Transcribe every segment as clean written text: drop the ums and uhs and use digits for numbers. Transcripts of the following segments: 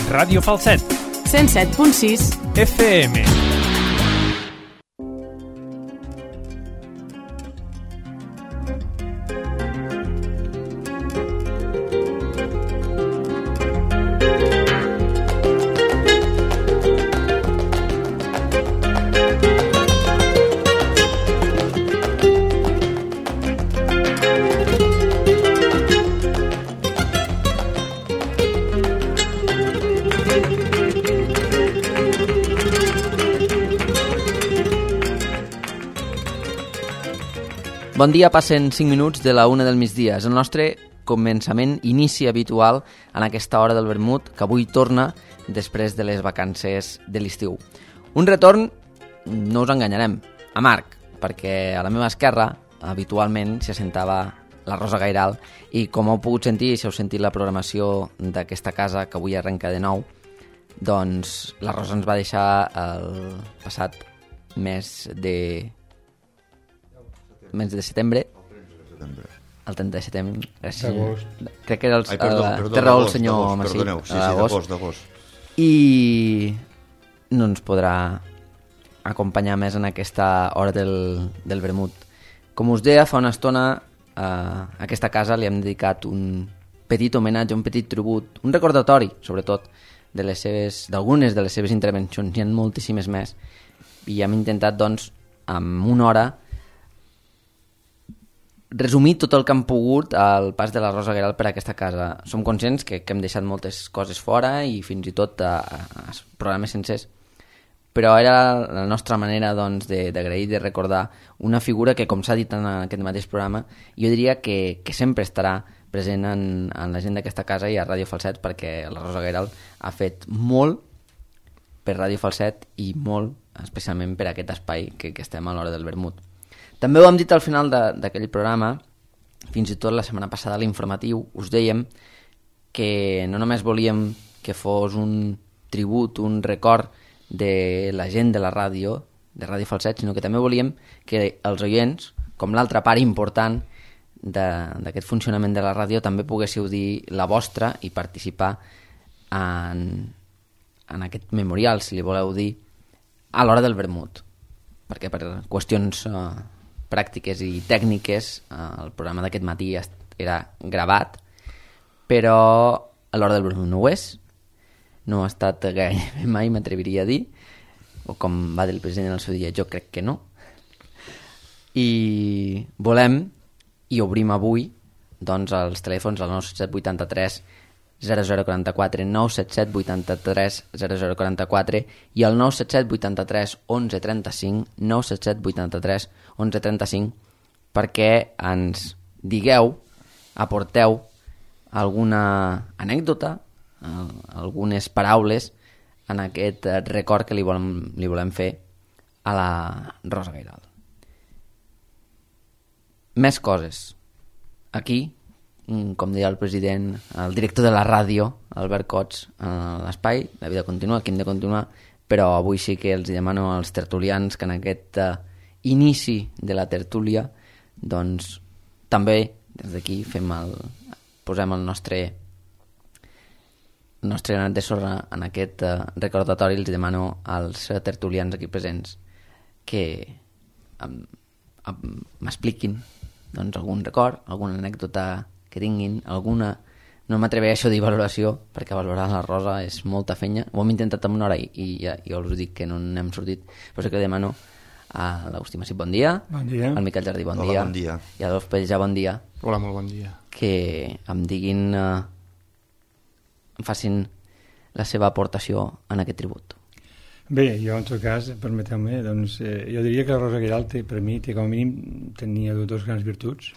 Ràdio Falset. 107.6 FM. Bon dia, passen 5 minuts de la 1 del migdia. És el nostre començament, inici habitual en aquesta hora del vermut, que avui torna després de les vacances de l'estiu. Un retorn, no us enganyarem, amarg, perquè a la meva esquerra habitualment s'hi assentava la Rosa Gairal i com heu pogut sentir, si heu sentit la programació d'aquesta casa que avui arrenca de nou, doncs la Rosa ens va deixar el passat mes de setembre. El 30 de setembre. Gràcies. Crec que era té raó el senyor Massí. Perdoneu, sí, d'agost. I no ens podrà acompanyar més en aquesta hora del vermut. Com us deia, fa una estona a aquesta casa li hem dedicat un petit homenatge, un petit tribut, un recordatori, sobretot, d'algunes de les seves intervencions. N'hi ha moltíssimes més. I hem intentat, doncs, en una hora resumir tot el que hem pogut al pas de la Rosa Gairal per a aquesta casa. Som conscients que hem deixat moltes coses fora i fins i tot programes sencers, però era la nostra manera doncs, d'agrair, de recordar una figura que, com s'ha dit en aquest mateix programa, jo diria que sempre estarà present en la gent d'aquesta casa i a Ràdio Falset, perquè la Rosa Gairal ha fet molt per Ràdio Falset i molt especialment per aquest espai que estem a l'hora del vermut. També ho hem dit al final d'aquell programa, fins i tot la setmana passada a l'informatiu, us dèiem que no només volíem que fos un tribut, un record de la gent de la ràdio, de Ràdio Falset, sinó que també volíem que els oients, com l'altra part important d'aquest funcionament de la ràdio, també poguéssiu dir la vostra i participar en aquest memorial, si li voleu dir, a l'hora del vermut. Perquè per qüestions pràctiques i tècniques el programa d'aquest matí era gravat, però a l'hora del vermut no ho és, no ha estat gairebé mai, m'atreviria a dir, o com va dir el president el seu dia, jo crec que no. I volem i obrim avui doncs els telèfons al 97783 0044, 977 83 0044 i el 977 83 1135, 977 83 1135, perquè ens digueu, aporteu alguna anècdota, algunes paraules en aquest record que li volem fer a la Rosa Gairal. Més coses. Aquí, com deia el president, el director de la ràdio, Albert Cots, l'espai, la vida continua, aquí hem de continuar, però avui sí que els demano als tertulians que en aquest inici de la tertúlia, doncs també des d'aquí posem el nostre granet de sorra en aquest recordatori. Els demano als tertulians aquí presents que m'expliquin doncs, algun record, alguna anècdota que tinguin, alguna... No m'atreveixo a dir valoració, perquè valorar la Rosa és molta fenya. Ho hem intentat en una hora i ja us dic que no n'hem sortit. Però sí que demano a l'Agustí Massip, bon dia. Bon dia. Al Miquel Jardí, bon Hola, dia. Bon dia. I a l'Adolf Pellejà, bon dia. Hola, molt bon dia. Que em diguin, em facin la seva aportació en aquest tribut. Bé, jo en tot cas, permeteu-me, doncs, jo diria que la Rosa Gairal per mi com a mínim tenia dos grans virtuts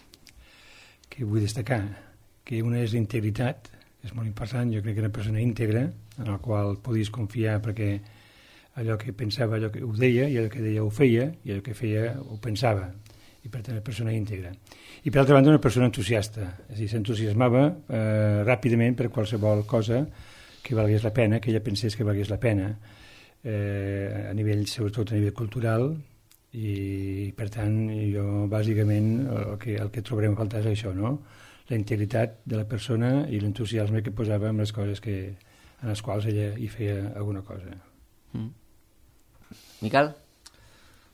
que vull destacar, que una és l'integritat, és molt important, jo crec que era una persona íntegra, en la qual podies confiar perquè allò que pensava, allò que ho deia, i allò que deia ho feia, i allò que feia ho pensava, i per tant una persona íntegra. I per altra banda una persona entusiasta, és a dir, s'entusiasmava ràpidament per qualsevol cosa que valgués la pena, que ella pensés que valgués la pena, a nivell, sobretot a nivell cultural, i per tant jo bàsicament el que trobarem a faltar és això, no? La integritat de la persona i l'entusiasme que posava en les coses que en els quals ella hi feia alguna cosa. Miquel?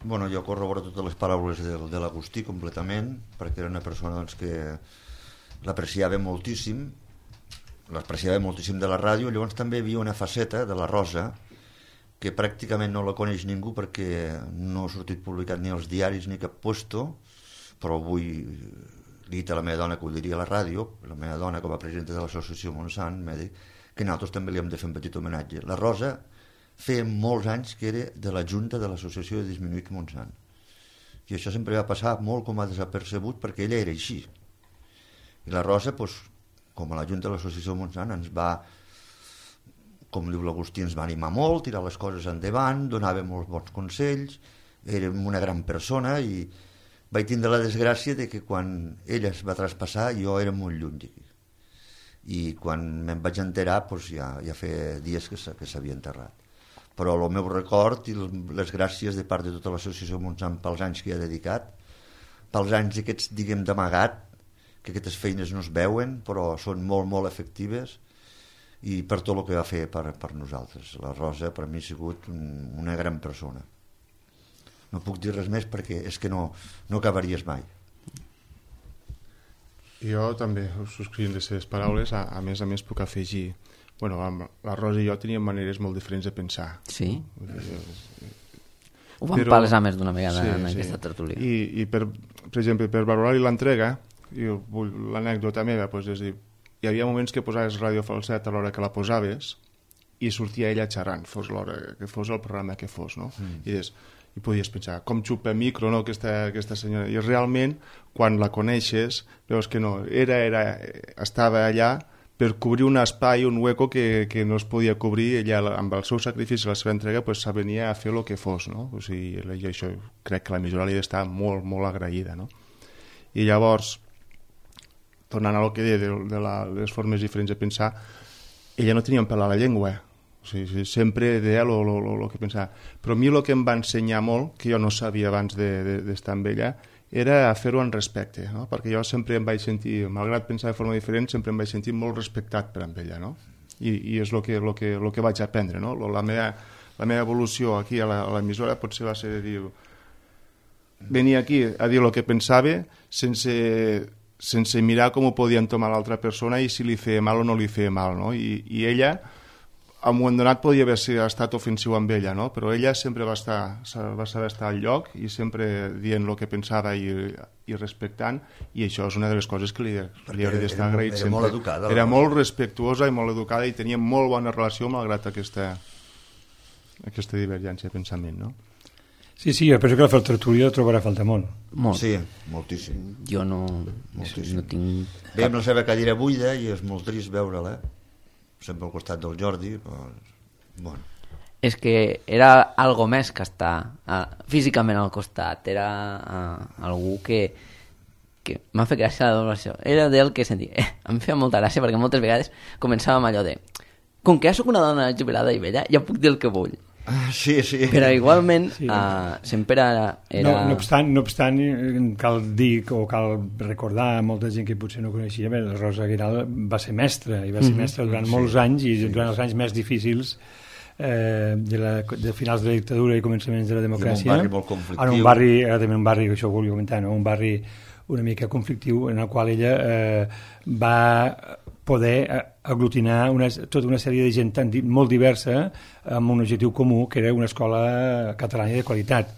Bueno, jo corroboro totes les paraules de l'Agustí completament, perquè era una persona doncs, que l'apreciava moltíssim de la ràdio. Llavors també hi havia una faceta de la Rosa que pràcticament no la coneix ningú perquè no ha sortit publicat ni als diaris ni cap puesto, però vull dir a la meva dona que ho diria a la ràdio, la meva dona com a presidenta de l'associació Montsant m'ha dit que nosaltres també li hem de fer un petit homenatge. La Rosa feia molts anys que era de la Junta de l'Associació de Disminuïts Montsant, i això sempre va passar molt com a desapercebut perquè ella era així. I la Rosa, doncs, com a la Junta de l'Associació Montsant, ens va, com diu l'Agustí, ens va animar molt, tirar les coses endavant, donava molts bons consells, era una gran persona, i vaig tindre la desgràcia de que quan ella es va traspassar jo era molt lluny d'aquí. I quan me'n vaig enterar doncs ja feia dies que s'havia enterrat. Però el meu record i les gràcies de part de tota l'associació Montsant pels anys que hi ha dedicat, pels anys aquests, diguem, d'amagat, que aquestes feines no es veuen, però són molt, molt efectives, i per tot el que va fer per nosaltres. La Rosa per mi ha sigut una gran persona. No puc dir res més perquè és que no acabaries mai. Jo també subscrivint les seves paraules, a més puc afegir, bueno, la Rosa i jo teníem maneres molt diferents de pensar. Sí? Ho vam palesar més d'una vegada en aquesta tertúlia. I per exemple, per valorar-li l'entrega, l'anècdota meva, doncs, és dir, hi havia moments que posaves ràdio falset a l'hora que la posaves i sortia ella xerrant, fos l'hora que fos el programa que fos, no? I podies pensar, com xupa micro, no, aquesta senyora. I realment, quan la coneixes, veus que no, estava allà per cobrir un espai, un hueco que no es podia cobrir. Ella, amb el seu sacrifici i la seva entrega, s'avenia a fer el que fos, no? O sigui, això crec que l'emissora li està molt, molt agraïda, no? I llavors, tornant al que deia de les formes diferents de pensar, ella no tenia un pèl a la llengua. O sigui, sempre deia el que pensava. Però a mi el que em va ensenyar molt, que jo no sabia abans d'estar amb ella, era fer-ho en respecte, no? Perquè jo sempre em vaig sentir, malgrat pensar de forma diferent, sempre em vaig sentir molt respectat per amb ella, no? I és el que vaig aprendre, no? La meva evolució aquí a l'emissora potser va ser de dir, venir aquí a dir el que pensava sense mirar com ho podia entomar l'altra persona i si li feia mal o no li feia mal, no? I ella, a un moment donat, podia haver estat ofensiu amb ella, no? Però ella sempre va saber estar al lloc i sempre dient el que pensava i respectant, i això és una de les coses que li hauria d'estar agraït sempre. Molt educada, era molt respectuosa i molt educada i tenia molt bona relació malgrat aquesta divergència de pensament, no? Sí, jo penso que la tertúlia trobarà falta molt. Molt. Sí, moltíssim. Jo no tinc... Ve amb la seva cadira buida i és molt trist veure-la, sempre al costat del Jordi, però... Bueno. És que era algo més que estar físicament al costat, era algú que m'ha fet gràcia la donació. Era del que sentia. Em feia molta gràcia perquè moltes vegades començàvem allò de com que ja soc una dona jubilada i vella, ja puc dir el que vull. Sí. Però igualment sempre era... No obstant, cal dir o cal recordar a molta gent que potser no coneixia, la Rosa Guiral va ser mestra, i va ser mestra durant molts anys, i durant els anys més difícils de finals de la dictadura i començaments de la democràcia. Un barri molt conflictiu. També un barri, això ho volia comentar, no? Un barri una mica conflictiu en el qual ella va poder aglutinar tota una sèrie de gent molt diversa amb un objectiu comú, que era una escola catalana de qualitat.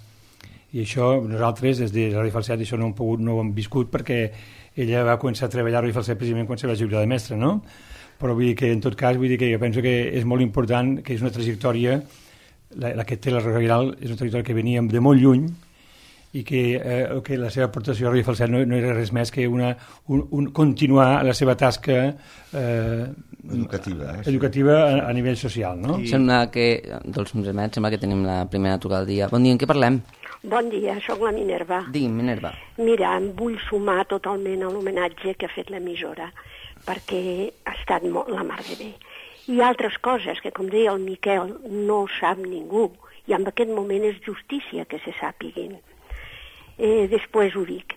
I això nosaltres, des de Ràdio Falset, això no ho hem viscut perquè ella va començar a treballar a Ràdio Falset precisament quan se va jubilar de mestra, no? Però vull dir que, en tot cas, jo penso que és molt important, que és una trajectòria, la que té la Rosa Guiral, és una trajectòria que venia de molt lluny, i que la seva aportació a Ràdio Falset no era res més que continuar la seva tasca educativa a nivell social, no? Sembla que, dels sembla que tenim la primera trucada del dia. Bon dia, en què parlem? Bon dia, sóc la Minerva. Digui'm, Minerva. Mira, em vull sumar totalment a l'homenatge que ha fet l'emissora, perquè ha estat la mar de bé. I altres coses que, com deia el Miquel, no sap ningú, i en aquest moment és justícia que se sàpiguin. Després ho dic.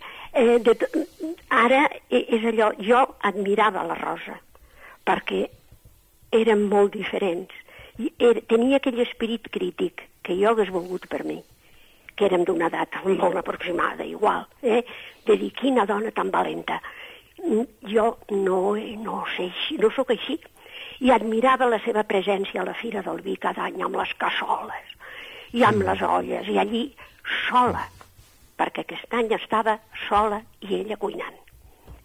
Ara és allò, jo admirava la Rosa, perquè eren molt diferents. I tenia aquell esperit crític que jo hagués volgut per mi, que érem d'una edat molt aproximada, igual, de dir, quina dona tan valenta. Jo no sé així, no sóc així. I admirava la seva presència a la Fira del Vi cada any amb les cassoles i amb les olles, i allí sola, perquè aquest any estava sola i ella cuinant.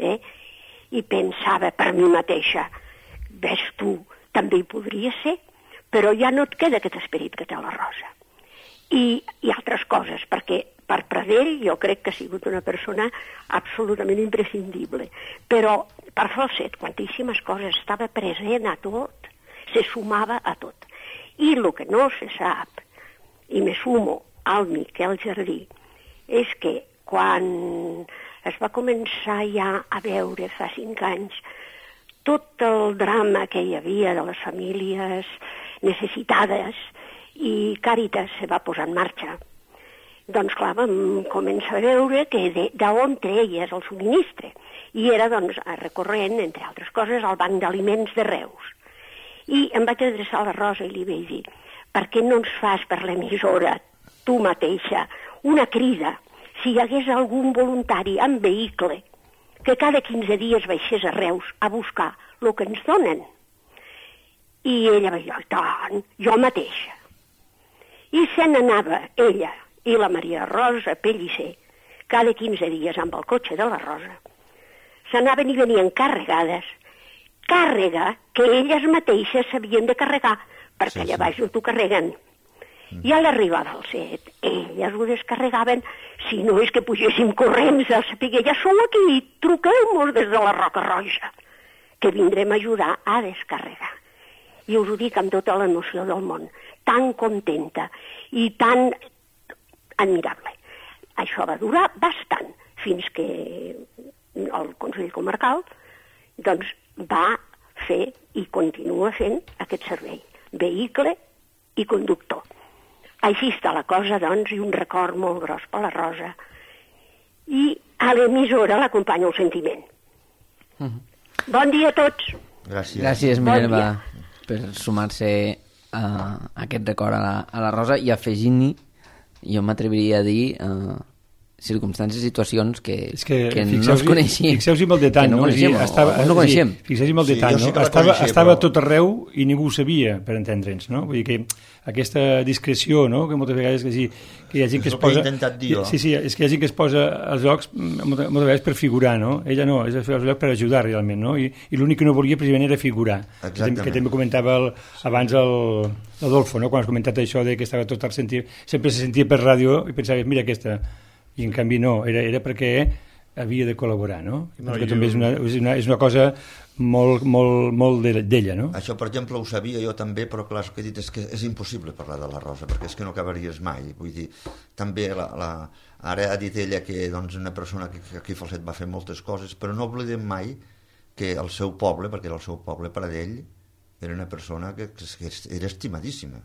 I pensava per mi mateixa, ves tu, també hi podria ser, però ja no et queda aquest esperit que té la Rosa. I altres coses, perquè per Pradell jo crec que ha sigut una persona absolutament imprescindible, però per Falset quantíssimes coses, estava present a tot, se sumava a tot. I el que no se sap, i me sumo al Miquel Jardí, és que quan es va començar ja a veure fa 5 anys tot el drama que hi havia de les famílies necessitades i Càritas se va posar en marxa, doncs clar, vam començar a veure que d'on treies el subministre. I era, doncs, recorrent, entre altres coses, al Banc d'Aliments de Reus. I em vaig adreçar a la Rosa i li vaig dir, per què no ens fas per l'emissora, tu mateixa, una crida, si hi hagués algun voluntari amb vehicle, que cada 15 dies baixés a Reus a buscar el que ens donen. I ella va dir, tant, jo mateixa. I se n'anava ella i la Maria Rosa Pellicer, cada 15 dies amb el cotxe de la Rosa, s'anaven i venien carregades, càrrega que elles mateixes s'havien de carregar, perquè allà baix no t'ho carreguen. I a l'arribada al set, elles ho descarregaven, si no és que pugéssim corrents a saber, ja sou aquí, truqueu-nos des de la Roca Roja, que vindrem a ajudar a descarregar. I us ho dic amb tota l'emoció del món, tan contenta i tan admirable. Això va durar bastant, fins que el Consell Comarcal doncs, va fer i continua fent aquest servei, vehicle i conductor. Així està la cosa, doncs, i un record molt gros per la Rosa. I a l'emissora l'acompanya el sentiment. Bon dia a tots. Gràcies. Gràcies, Minerva, per sumar-se a aquest record a la Rosa i afegint-hi, jo m'atreviria a dir, circumstàncies, situacions que no es coneixien. Fixeu-vos amb el detall, no coneixem, no coneixem. Fixeu-vos amb el detall, no? Estava a tot arreu i ningú ho sabia, per entendre'ns, no? Vull dir que aquesta discreció, no?, que moltes vegades que hi ha gent que es posa... Sí, és que hi ha gent que es posa als llocs moltes vegades per figurar, no? Ella no, és als llocs per ajudar realment, no? I l'únic que no volia precisament era figurar. Exactament. Que també comentava abans l'Adolfo, no?, quan has comentat això de que estava tot al sentir... Sempre se sentia per ràdio i pensaves, mira aquesta... I en canvi no, era perquè havia de col·laborar, no? Que també és una cosa molt d'ella, no? Això, per exemple, ho sabia jo també, però clar, el que he dit és que és impossible parlar de la Rosa, perquè és que no acabaries mai. Vull dir, també ara ha dit ella que doncs, una persona que aquí a Falset va fer moltes coses, però no oblidem mai que el seu poble, perquè era el seu poble, Pradell, era una persona que era estimadíssima.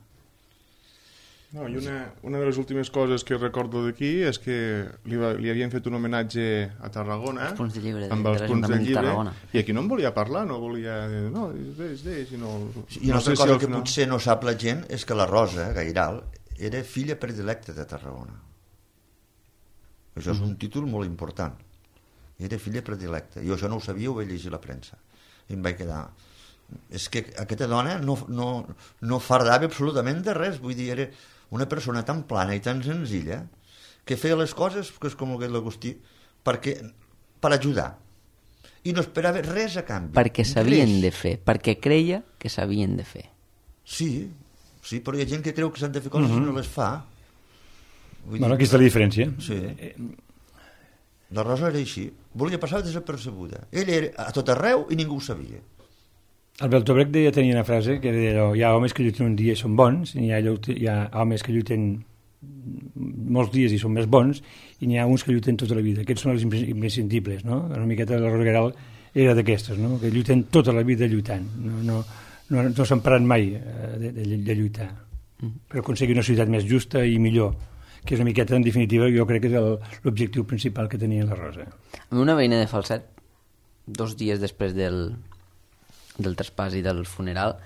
No, i una de les últimes coses que recordo d'aquí és que li havien fet un homenatge a Tarragona amb els punts de llibre i aquí no en volia parlar, no volia no, deix, no... I una altra cosa que potser no sap la gent és que la Rosa Gairal era filla predilecta de Tarragona. Això és un títol molt important. Era filla predilecta. Jo això no ho sabia, ho vaig llegir a la premsa i em vaig quedar... És que aquesta dona no fardava absolutament de res, vull dir, era una persona tan plana i tan senzilla que feia les coses, que és com el que l'Agustí, per ajudar. I no esperava res a canvi. Perquè s'havien de fer, perquè creia que s'havien de fer. Sí, però hi ha gent que creu que s'han de fer coses i no les fa. Bueno, aquí està la diferència. Sí. La Rosa era així. Volia passar desapercebuda. Ella era a tot arreu i ningú ho sabia. El Beltobrec tenia una frase que deia, hi ha homes que lluiten un dia i són bons, i hi ha homes que lluiten molts dies i són més bons, i n'hi ha uns que lluiten tota la vida. Aquests són els imprescindibles, no? Una miqueta de la Rosa Gairal era d'aquestes, no? Que lluiten tota la vida lluitant. No s'han parat mai de lluitar per aconseguir una societat més justa i millor, que és una miqueta, en definitiva, jo crec que és l'objectiu principal que tenia la Rosa. Amb una veïna de Falset, 2 dies després del traspàs i del funeral,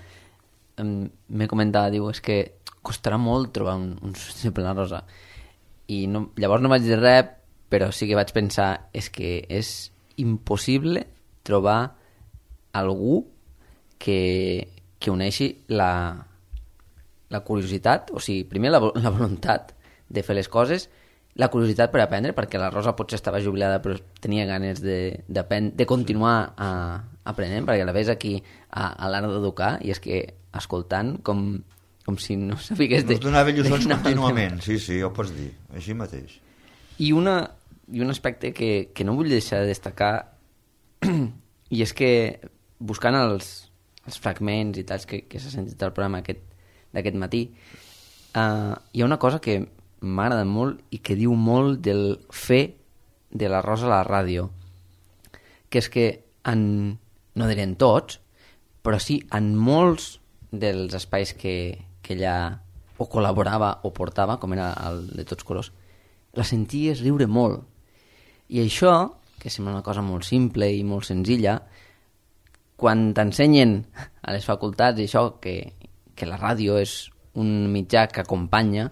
m'he comentat, diu, és que costarà molt trobar un substituble a la Rosa. I no, llavors no vaig dir res, però sí que vaig pensar, és que és impossible trobar algú que uneixi la curiositat, o sigui, primer la voluntat de fer les coses, la curiositat per aprendre, perquè la Rosa potser estava jubilada però tenia ganes de continuar aprenent, perquè la ves aquí a l'art d'educar i és que escoltant com si no sabigués... Ens donava lliçons contínuament, sí, ho pots dir, així mateix. I un aspecte que no vull deixar de destacar i és que buscant els fragments i tals que s'ha sentit al programa d'aquest matí, hi ha una cosa que m'agrada molt i que diu molt del fer de la Rosa a la ràdio, que és que no diré en tots, però sí en molts dels espais que ella o col·laborava o portava, com era el de Tots Colors, la senties riure molt. I això, que sembla una cosa molt simple i molt senzilla, quan t'ensenyen a les facultats i això, que la ràdio és un mitjà que acompanya,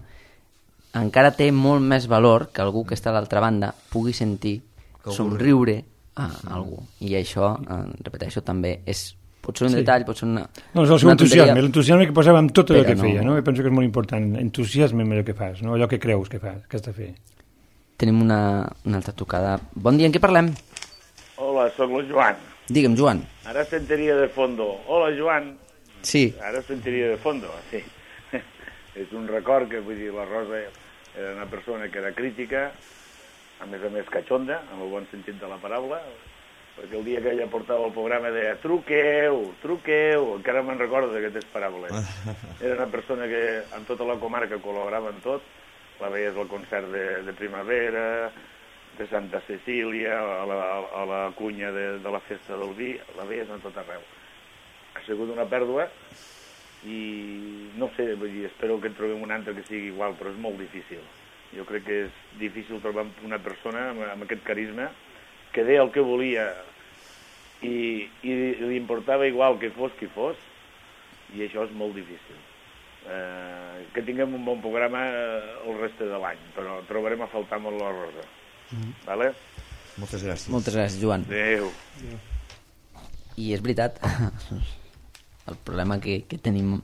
encara té molt més valor que algú que està a l'altra banda pugui sentir somriure a algú. I això, repeteixo, també pot ser un detall, pot ser una... No, és el seu entusiasme, l'entusiasme que posava en tot allò que feia, no? I penso que és molt important, entusiasme en allò que fas, no? Allò que creus que fas, que has de fer. Tenim una altra trucada. Bon dia, en què parlem? Hola, sóc el Joan. Digue'm, Joan. Ara sentiria de fondo. Hola, Joan. Sí. Ara sentiria de fondo, sí. És un record que, vull dir, la Rosa era una persona que era crítica, a més catxonda, en el bon sentit de la paraula, perquè el dia que ella portava el programa deia truqueu, encara me'n recordo d'aquestes paraules. Era una persona que en tota la comarca col·laborava en tot, la veies al concert de primavera, de Santa Cecília, a la cunya de la festa del vi, la veies a tot arreu. Ha sigut una pèrdua i no sé, vull dir, espero que en trobem un altre que sigui igual, però és molt difícil. Jo crec que és difícil trobar una persona amb aquest carisma que deia el que volia i li importava igual que fos qui fos, i això és molt difícil. Que tinguem un bon programa el reste de l'any, però trobarem a faltar molt la Rosa. Vale? Moltes gràcies. Moltes gràcies, Joan. Adéu. I és veritat, el problema que tenim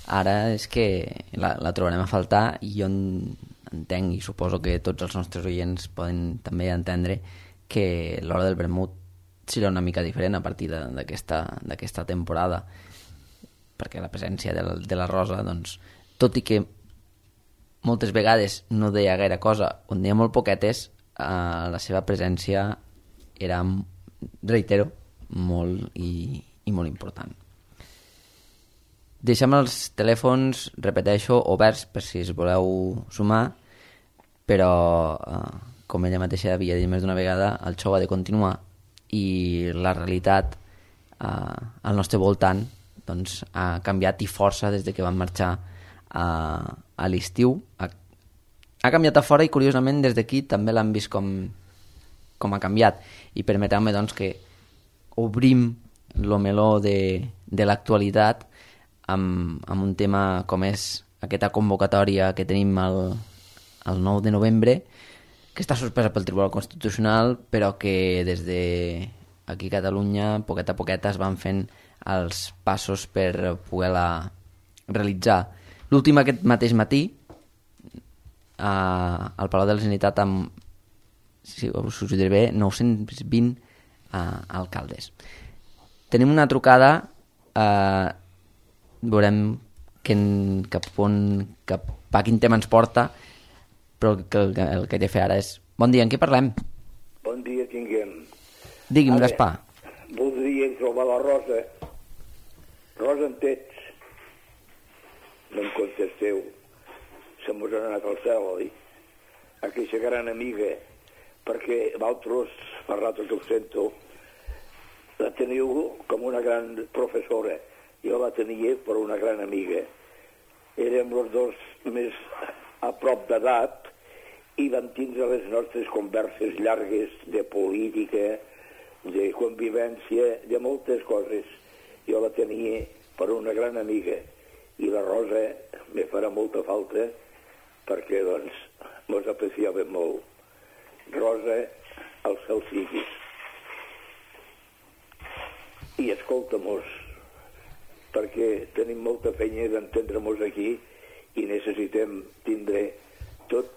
ara és que la trobarem a faltar, i jo entenc i suposo que tots els nostres oients poden també entendre que l'hora del vermut serà una mica diferent a partir d'aquesta temporada, perquè la presència de la Rosa, doncs, tot i que moltes vegades no deia gaire cosa, on deia molt poquetes, la seva presència era, reitero, molt i molt important. Deixem els telèfons, repeteixo, oberts per si es voleu sumar, però com ella mateixa havia dit més d'una vegada, el show ha de continuar i la realitat al nostre voltant doncs, ha canviat i força des de que vam marxar a l'estiu. Ha canviat a fora i curiosament des d'aquí també l'han vist com ha canviat, i permeteu-me doncs que obrim el meló de l'actualitat amb un tema com és aquesta convocatòria que tenim el 9 de novembre, que està suspesa pel Tribunal Constitucional, però que des de aquí a Catalunya, poquet a poquet, es van fent els passos per poder-la realitzar. L'últim aquest mateix matí, al Palau de la Generalitat, amb, si us ho diré bé, 920 alcaldes. Tenim una trucada, veurem cap a quin tema ens porta, però el que he de fer ara és... Bon dia, en què parlem? Bon dia tinguem. Digui'm, Gaspar. Voldria trobar la Rosa. Rosa, en tets? No em contesteu. Se mos ha anat al cel, oi? Aquesta gran amiga, perquè vosaltres, per ratos ho sento, la teniu com una gran professora. Jo la tenia per una gran amiga. Érem els dos més a prop d'edat i vam tindre les nostres converses llargues de política, de convivència, de moltes coses. jo la tenia per una gran amiga, i la Rosa me farà molta falta perquè, doncs, mos apreciava molt. Rosa, al cel siguis. I escolta-mos, perquè tenim molta feina d'entendre-mos aquí i necessitem tindre tot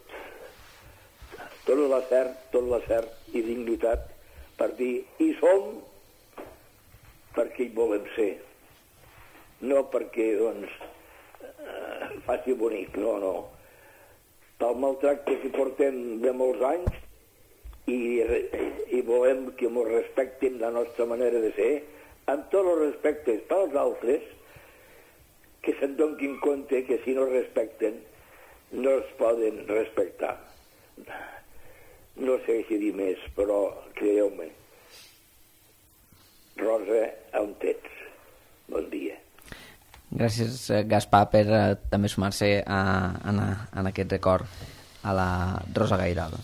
l'acert i dignitat per dir hi som perquè hi volem ser. No perquè, doncs, faci bonic, no. Pel maltracte que portem de molts anys i volem que ens respectin la nostra manera de ser, amb tots els respectes per als altres, que se'n donin compte que si no respecten no es poden respectar. No sé què dir més, però creieu-me. Rosa, on ets? Bon dia. Gràcies, Gaspar, per també sumar-se en aquest record a la Rosa Gairal.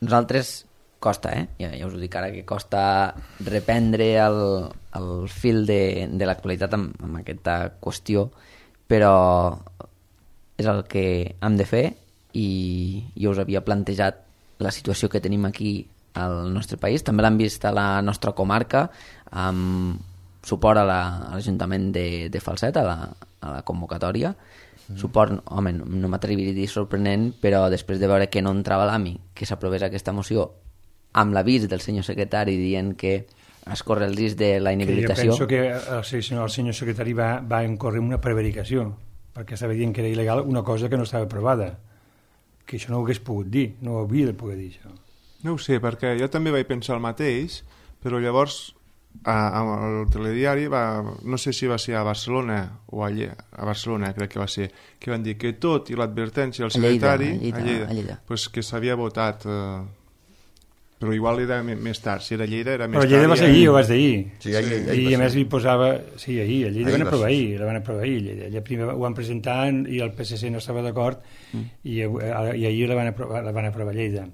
Nosaltres costa, ja us ho dic ara, que costa reprendre el fil de l'actualitat amb aquesta qüestió, però és el que hem de fer i jo us havia plantejat la situació que tenim aquí al nostre país. També l'hem vist a la nostra comarca amb suport a l'Ajuntament de Falset, a la convocatòria. Suport, home, no m'atreviria a dir sorprenent, però després de veure que no entrava l'AMI, que s'aprovés aquesta moció amb l'avís del senyor secretari dient que es corre el risc de la inhabilitació. Jo penso que el senyor secretari va incórrer una prevaricació, perquè estava dient que era il·legal una cosa que no estava aprovada, que això no ho hagués pogut dir, no ho havia de poder dir això. No ho sé, perquè jo també vaig pensar el mateix, però llavors al telediari no sé si va ser a Barcelona o a Barcelona crec que va ser, que van dir que tot i l'advertència del secretari a Lleida. Pues que s'havia votat, però igual era més tard, si era Lleida era més tard. Però Lleida va ser ahir, ho vas dir ahir. Sí, ahir i a més hi posava, sí, ahir, a Lleida van aprovar ahir, Lleida primer ho van presentar i el PSC no estava d'acord i ahir la van aprovar a Lleida.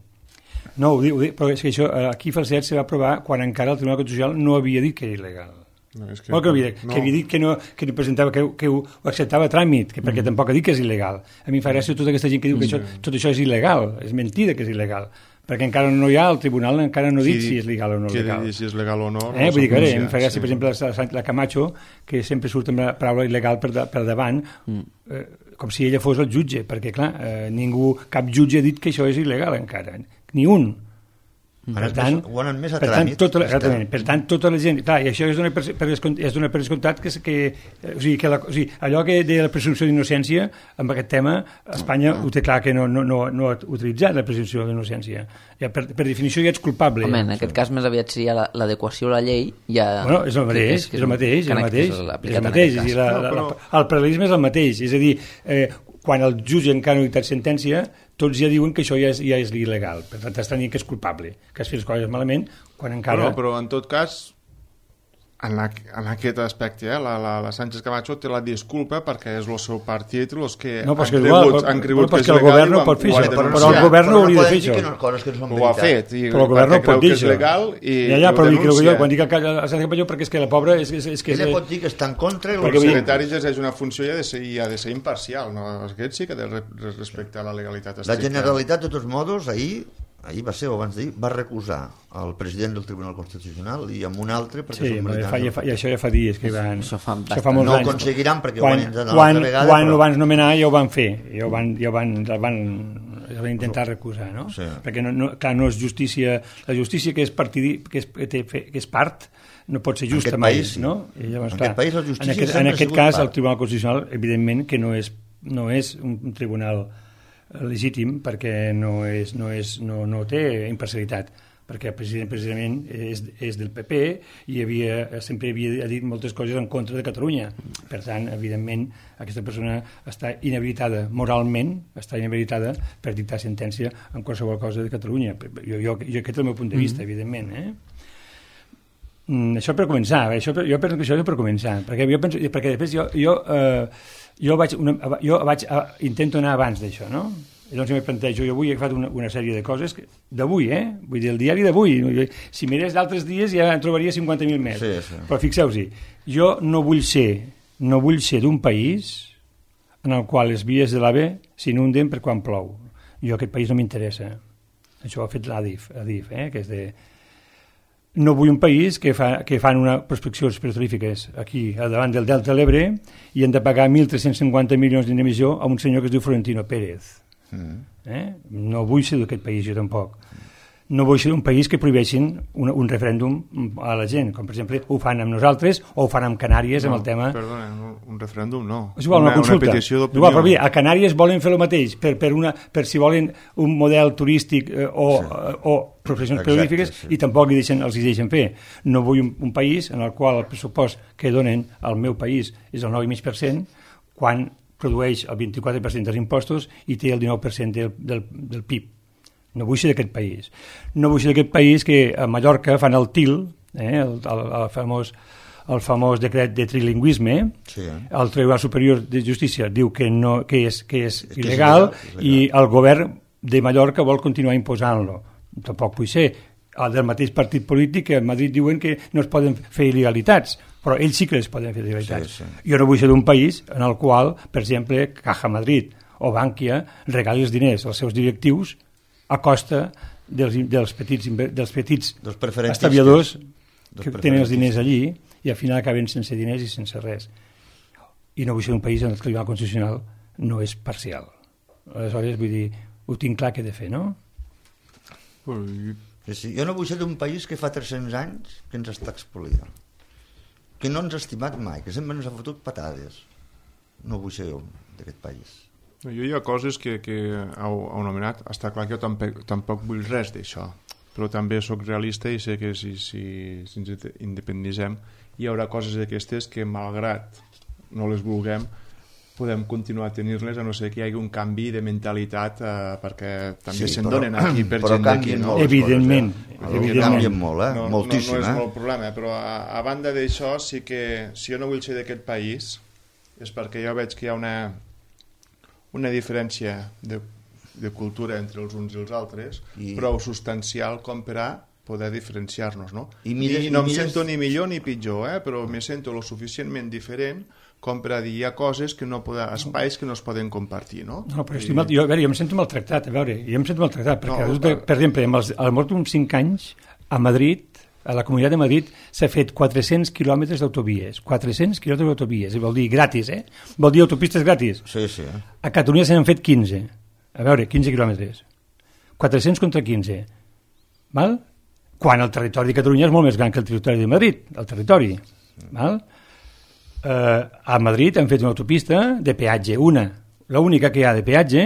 No, ho dic, però és que això aquí a Falset se va aprovar quan encara el Tribunal Constitucional no havia dit que era il·legal. No, és que havia dit que no presentava, que ho acceptava a tràmit, perquè tampoc ha dit que és il·legal. A mi em fa gràcia tota aquesta gent que diu que tot això és il·legal, és mentida que és il·legal, perquè encara no hi ha, el tribunal encara no ha dit si és legal o no legal. Si és legal o no. Vull dir que em fa gràcia, per exemple, la Camacho, que sempre surt amb la paraula il·legal per davant, com si ella fos el jutge, perquè clar, cap jutge ha dit que això és il·legal encara, ni un. Per tant, tota la gent, clar, i això és donar per descomptat allò que de la presumpció d'innocència, amb aquest tema Espanya ho té clar que no ha utilitzat la presumpció d'innocència, per definició ja ets culpable. Home, en aquest cas més aviat seria l'adequació a la llei. Bueno, és el mateix, el paral·lelisme és el mateix, és a dir, quan el jutge encara no ha dictat sentència, tots ja diuen que això ja és il·legal, per tant estan dient que és culpable, que has fet les coses malament, quan encara... Però en tot cas, en aquest aspecte, la Sánchez Camacho té la disculpa perquè és el seu partit els que han cregut que és legal i ho han denunciat. Però el govern no hauria de fer això. Ho ha fet, però el govern no pot dir això. Però quan dic que la Sánchez Camacho, perquè és que la pobra... Ella pot dir que està en contra... El secretari exerceix una funció i ha de ser imparcial. Aquest sí que ha de respectar la legalitat estricta. La Generalitat, de tots modos, ahir va ser o abans d'ahir, va recusar el president del Tribunal Constitucional i amb un altre perquè són militants. I això ja fa dies que van... Això fa molts anys. No ho aconseguiran perquè ho van intentar l'altra vegada. Quan ho van nomenar ja ho van fer, ja ho van intentar recusar, no? Sí. Perquè clar, no és justícia... La justícia que és part no pot ser justa mai, no? En aquest país la justícia sempre ha sigut part. En aquest cas el Tribunal Constitucional, evidentment que no és un tribunal legítim perquè no té imparcialitat, perquè el president precisament és del PP i sempre havia dit moltes coses en contra de Catalunya. Per tant, evidentment, aquesta persona està inhabilitada moralment, està inhabilitada per dictar sentència en qualsevol cosa de Catalunya. Jo aquest és el meu punt de vista, evidentment. Això per començar, jo penso que això és per començar, perquè després jo intento anar abans d'això, no? I doncs jo me plantejo, jo avui he agafat una sèrie de coses d'avui, vull dir, el diari d'avui. Si mirés d'altres dies ja en trobaria 50.000 més. Sí. Però fixeu-hi, Jo no vull ser d'un país en el qual les vies de l'AVE s'inunden per quan plou. Jo aquest país no m'interessa. Això ho ha fet l'ADIF, que és de... No vull un país que fan una prospeccions petroglífiques aquí, al davant del Delta de l'Ebre, i han de pagar 1.350 milions d'indemnització a un senyor que es diu Florentino Pérez. No vull ser d'aquest país, jo tampoc. No vull ser un país que prohibeixin un referèndum a la gent, com per exemple ho fan amb nosaltres o ho fan amb Canàries amb el tema... Perdona, un referèndum no. És igual, una consulta. Una petició d'opinió. Igual, però bé, a Canàries volen fer el mateix per si volen un model turístic o professions periodífiques, i tampoc els deixen fer. No vull un país en el qual el pressupost que donen al meu país és el 9,5%, quan produeix el 24% dels impostos i té el 19% del PIB. No vull ser d'aquest país. No vull ser d'aquest país que a Mallorca fan el TIL, el famós decret de trilingüisme. Sí. El Tribunal Superior de Justícia diu que és il·legal, i el govern de Mallorca vol continuar imposant-lo. Tampoc vull ser del mateix partit polític que a Madrid diuen que no es poden fer il·legalitats, però ells sí que les poden fer il·legalitats. Sí. Jo no vull ser d'un país en el qual, per exemple, Caja Madrid o Bankia regali els diners als seus directius a costa dels petits estalviadors que tenen els diners allí i al final acaben sense diners i sense res. I no vull ser un país en el Tribunal Constitucional no és parcial. Aleshores, vull dir, ho tinc clar que he de fer, no? Sí, jo no vull ser d'un país que fa 300 anys que ens està expoliant, que no ens ha estimat mai, que sempre ens ha fotut patades. No vull ser jo d'aquest país. Jo hi ha coses que heu anomenat. Està clar que jo tampoc vull res d'això, però també sóc realista i sé que si ens independitzem hi haurà coses d'aquestes que, malgrat no les vulguem, podem continuar a tenir-les, a no ser que hi hagi un canvi de mentalitat, perquè també se'n donen aquí per gent d'aquí. No? Evidentment. Canvien molt, moltíssim. No és molt problema, però a banda d'això, sí que si jo no vull ser d'aquest país és perquè jo veig que hi ha una diferència de cultura entre els uns i els altres, prou substancial com per a poder diferenciar-nos, no? I no em sento ni millor ni pitjor, però me sento lo suficientment diferent com per a dir hi ha coses que no poden, espais que no es poden compartir, no? No, però jo em sento maltractat, perquè, per exemple, al mort d'uns 5 anys, a Madrid, a la Comunitat de Madrid, s'ha fet 400 quilòmetres d'autovies. 400 quilòmetres d'autovies, vol dir gratis, Vol dir autopistes gratis. Sí. A Catalunya se n'han fet 15. A veure, 15 quilòmetres. 400 contra 15. Val? Quan el territori de Catalunya és molt més gran que el territori de Madrid, el territori. Val? A Madrid han fet una autopista de peatge, l'única que hi ha de peatge,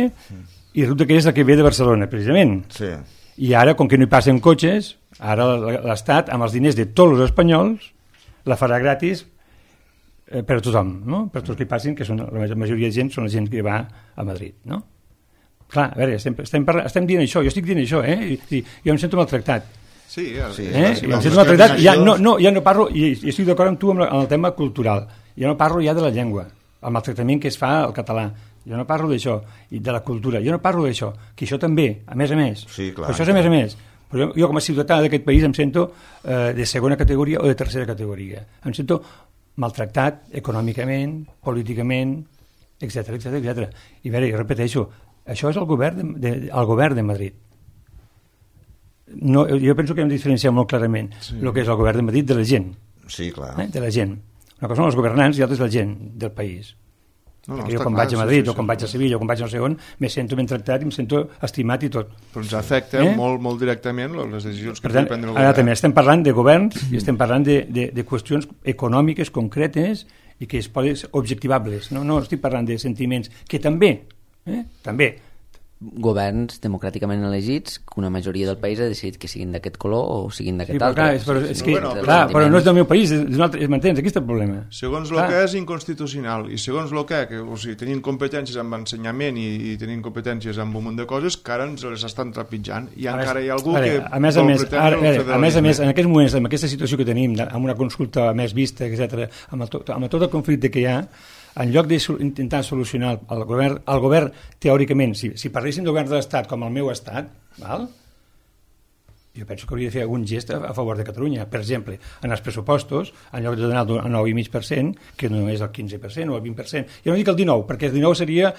i resulta que és la que ve de Barcelona, precisament. Sí. I ara, com que no hi passen cotxes, ara l'Estat, amb els diners de tots els espanyols, la farà gratis per a tothom, no? Per tots que hi passin, que són la majoria de gent són la gent que va a Madrid, no? Clar, a veure, estem dient això, jo estic dient això, i jo em sento maltractat. Sí, em sento maltractat, ja no parlo, i estic d'acord amb tu amb el tema cultural, ja no parlo ja de la llengua, el maltractament que es fa al català. Jo no parlo d'això, i de la cultura, jo no parlo d'això, que això també, a més a més. Sí, clar. Això és a més a més. Però jo com a ciutadà d'aquest país em sento de segona categoria o de tercera categoria. Em sento maltractat econòmicament, políticament, etc. I veure, jo repeteixo, això és el govern de Madrid. No, jo penso que hem de diferenciar molt clarament el que és el govern de Madrid de la gent. Sí, clar. De la gent. Una cosa són els governants i l'altra és la gent del país. Jo quan vaig a Madrid o quan vaig a Sevilla o quan vaig a no sé on me sento ben tractat i em sento estimat i tot. Però ens afecta molt directament les decisions que pugui prendre el govern. Ara també estem parlant de governs i estem parlant de qüestions econòmiques concretes i que es poden objectivables. No estic parlant de sentiments que també governs democràticament elegits que una majoria del país ha decidit que siguin d'aquest color o siguin d'aquest altre. Però no és del meu país, m'entens? Aquí està el problema. Segons el que és inconstitucional i segons el que, o sigui, tenint competències amb ensenyament i tenint competències amb un munt de coses que ara ens les estan trepitjant i encara hi ha algú que a més, en aquests moments, amb aquesta situació que tenim, amb una consulta més vista, etc., amb tot el conflicte que hi ha, en lloc d'intentar solucionar el govern teòricament, si parléssim del govern de l'Estat com el meu estat, val? Jo penso que hauria de fer algun gest a favor de Catalunya. Per exemple, en els pressupostos, en lloc de donar el 9,5%, que no és el 15% o el 20%, jo no dic el 19%, perquè el 19% seria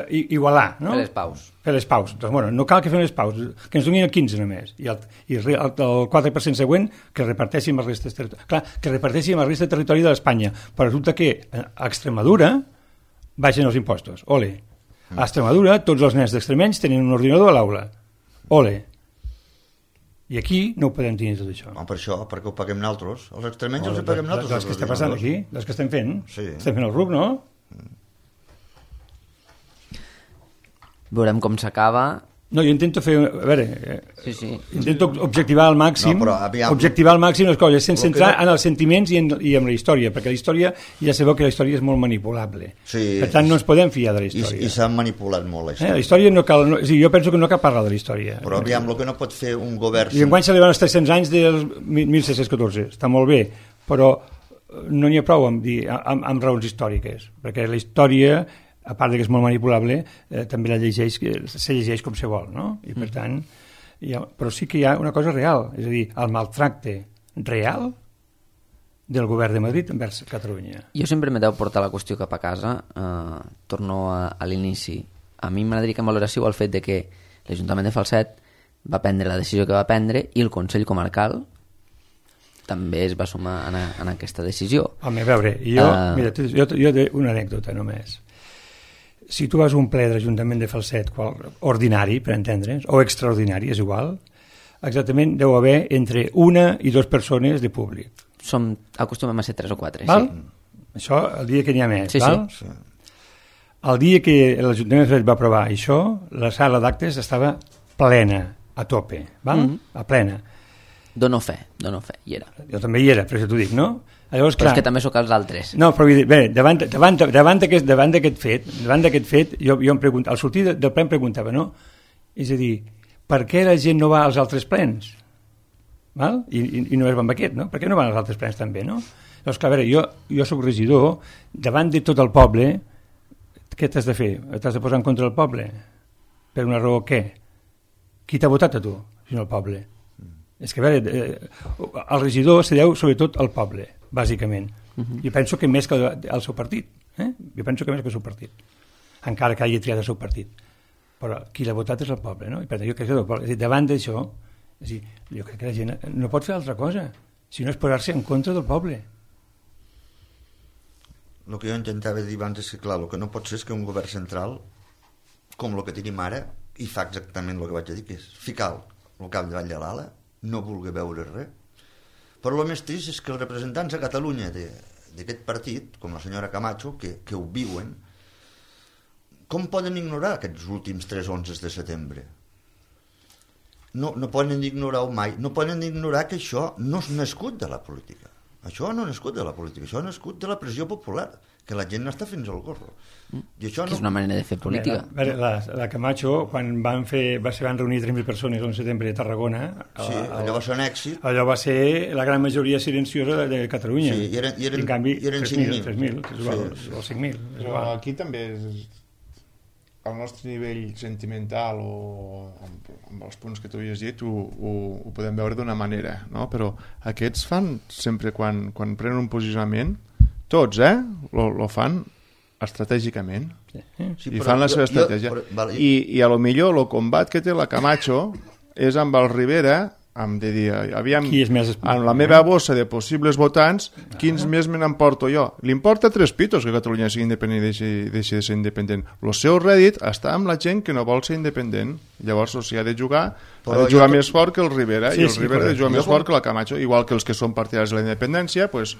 igualar, no? Fer les paus. Fer les paus. Doncs, bueno, no cal que fem les paus, que ens donin el 15% només. I el 4% següent, que reparteixi amb el resta de territori. Clar, que reparteixi amb el resta de territori de l'Espanya. Però resulta que a Extremadura baixen els impostos. Ole. A Extremadura, tots els nens d'extremenys tenen un ordinador a l'aula. Ole. I aquí no ho podem tenir tot això. Per això, perquè ho paguem nosaltres. Els extremenys els paguem nosaltres. Dels que està passant aquí, dels que estem fent. Sí. Estem fent el RUC, no? Veurem com s'acaba. No, jo intento fer... A veure, Sí. intento objectivar al màxim, No, però aviam. objectivar al màxim les coses, sense Però que entrar no- en els sentiments i en la història, perquè la història, ja sabeu que la història és molt manipulable. Sí. Per tant, no ens podem fiar de la història. I s'han manipulat molt la La història. història no cal... No, jo penso que no cal parlar de la història. Però aviam, el que no pot fer un govern... I enguany celebren els 300 anys del 1614. Està molt bé, però no n'hi ha prou amb raons històriques, perquè la història, a part de que és molt manipulable, també se llegeix com se vol, no? I per tant, però sí que hi ha una cosa real, és a dir, el maltracte real del govern de Madrid envers Catalunya. Jo sempre me deu portar la qüestió cap a casa. Torno a l'inici. A mi m'agradaria que em valoréssiu el fet de que l'Ajuntament de Falset va prendre la decisió que va prendre i el Consell Comarcal també es va sumar en aquesta decisió. Home, a veure, mira, jo té una anècdota només. Si tu vas a un ple de l'Ajuntament de Falset, ordinari, per entendre's, o extraordinari, és igual, exactament deu haver entre 1 i 2 persones de públic. Acostumem a ser 3 o 4, val? sí. Això el dia que n'hi ha més, Sí, val? sí. El dia que l'Ajuntament de Falset va aprovar això, la sala d'actes estava plena, a tope, val? A plena. Dono fe, hi era. Jo també hi era, per això t'ho dic, no? Llavors, Però és que també sóc els altres. No, però vull dir, bé, davant d'aquest fet, jo em preguntava, al sortir del ple em preguntava, no? És a dir, per què la gent no va als altres plens? Val? I només va amb aquest, no? Per què no van als altres plens també, no? Llavors, clar, a veure, jo soc regidor, davant de tot el poble, què t'has de fer? T'has de posar en contra del poble? Per una raó què? Qui t'ha votat a tu, si no el poble? És que, a veure, el regidor se deu sobretot al poble, bàsicament. Jo penso que més que al seu partit. Jo penso que més que el seu partit. Encara que hagi triat el seu partit. Però qui l'ha votat és el poble, no? I per tant, jo crec que és a dir, davant d'això, és a dir, jo crec que la gent no pot fer altra cosa, si no és posar-se en contra del poble. El que jo intentava dir abans és que, clar, el que no pot ser és que un govern central, com el que tenim ara, i fa exactament el que vaig a dir, que és ficar el cap davall de l'ala, no vulgui veure res. Però el més trist és que els representants a Catalunya d'aquest partit, com la senyora Camacho, que ho viuen, com poden ignorar aquests últims 3 11 de setembre? No poden ignorar-ho mai. No poden ignorar que això no és nascut de la política. Això no ha nascut de la política, això ha nascut de la pressió popular, que la gent n'està fins al gorro. I això Que és una manera de fer política. La Camacho, quan van reunir 3.000 persones el setembre a Tarragona... Sí, allò va ser un èxit. Allò va ser la gran majoria silenciosa de Catalunya. Sí, i en canvi, 3.000, és igual, o 5.000. Però aquí també al nostre nivell sentimental o amb els punts que tu havies dit ho podem veure d'una manera, no? Però aquests fan sempre quan prenen un posicionament, tots, lo fan estratègicament. Sí, I fan la seva estratègia. I a lo millor el combat que té la Camacho és amb el Rivera, de dir, aviam, amb la meva bossa de possibles votants, quins més me n'emporto jo? Li importa 3 pitos que Catalunya sigui independent i deixi de ser independent. El seu rèdit està amb la gent que no vol ser independent. Llavors, o sigui, ha de jugar més fort que el Rivera, i el Rivera ha de jugar més fort que la Camacho, igual que els que són partidaris de la independència, doncs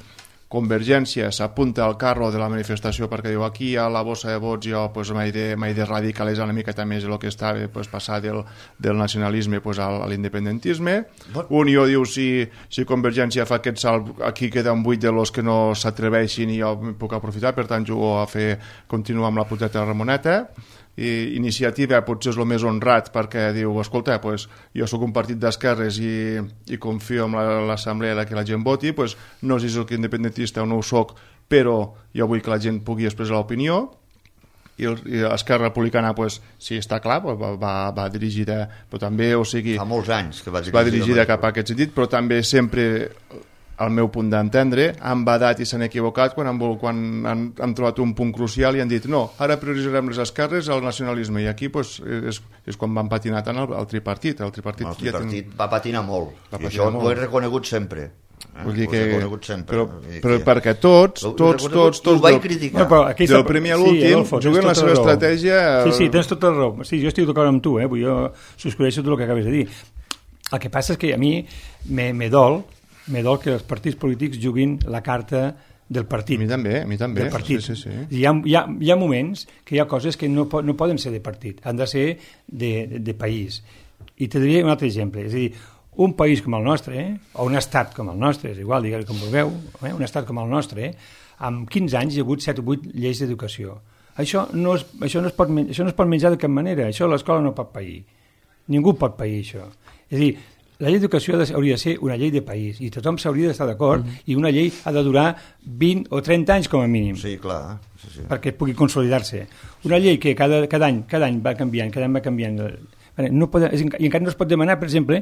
Convergència s'apunta al carro de la manifestació perquè diu aquí hi ha la bossa de vots, jo pues, m'he de radicalitzar una miqueta més el que estava, pues, passar del nacionalisme pues, a l'independentisme. Unió diu si Convergència fa aquest salt, aquí queda un buit de los que no s'atreveixin i jo puc aprofitar, per tant jugo a continuar amb la puteta de Ramoneta. I Iniciativa potser és el més honrat perquè diu, escolta, pues, jo sóc un partit d'esquerres i confio en l'assemblea que la gent voti, pues, no sé si soc independentista o no ho soc, però jo vull que la gent pugui expressar l'opinió. i Esquerra Republicana, pues, sí, està clar, va dirigida, però també, o sigui... Fa molts anys que va dirigida cap a aquest sentit, però també sempre... al meu punt d'entendre, han badat i s'han equivocat quan han trobat un punt crucial i han dit no, ara prioritzarem les esquerres al nacionalisme, i aquí pues, és quan van patinar tant el tripartit. El tripartit va patinar molt, i això ho he reconegut sempre. Vull dir que... Però perquè tots vaig criticar. Del primer a l'últim juguen la seva estratègia... Sí, tens tota la raó. Sí, jo estic d'acord amb tu, jo subscriveixo tot el que acabes de dir. El que passa és que a mi me dol que els partits polítics juguin la carta del partit. A mi també. Del partit. Sí. Hi ha moments que hi ha coses que no poden ser de partit, han de ser de país. I te diria un altre exemple, és a dir, un país com el nostre, o un estat com el nostre, és igual, digueu com vulgueu, un estat com el nostre, amb 15 anys hi ha hagut 7 o 8 lleis d'educació. Això no es pot menjar de cap manera, això l'escola no pot pair. Ningú pot pair això. És a dir, la llei d'educació hauria de ser una llei de país i tothom s'hauria d'estar d'acord i una llei ha de durar 20 o 30 anys com a mínim. Sí, clar. Sí. Perquè pugui consolidar-se. Una llei que cada any va canviant, i encara no es pot demanar, per exemple,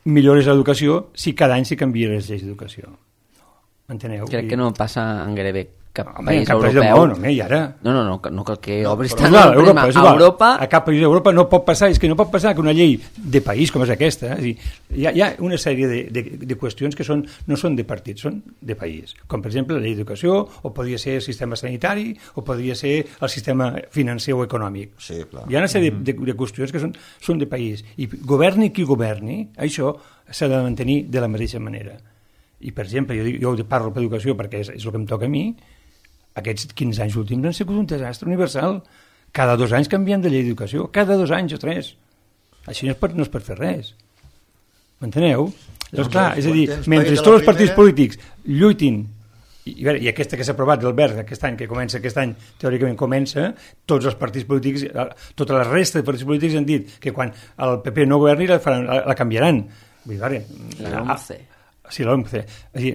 millores a l'educació si cada any s'hi canvia les lleis d'educació. Enteneu? Crec que no passa en gairebé cap país europeu. I ara... No cal que obris tant a Europa. A cap país d'Europa no pot passar, és que no pot passar que una llei de país com és aquesta, hi ha una sèrie de qüestions que no són de partit, són de país, com per exemple la llei d'educació, o podria ser el sistema sanitari, o podria ser el sistema financer o econòmic. Sí, clar. Hi ha una sèrie de qüestions que són de país, i governi qui governi, això s'ha de mantenir de la mateixa manera. I per exemple, jo parlo per educació perquè és el que em toca a mi. Aquests 15 anys últims han sigut un desastre universal. Cada 2 anys canviem de llei d'educació, cada 2 anys o 3. Així no es pot fer res. M'enteneu? Doncs clar, és a dir, mentre tots els partits polítics lluitin, i aquesta que s'ha aprovat del BERT aquest any, aquest any teòricament comença, tots els partits polítics, tota la resta de partits polítics han dit que quan el PP no governi la canviaran. Vull dir, la OMC. Sí, l'OMC.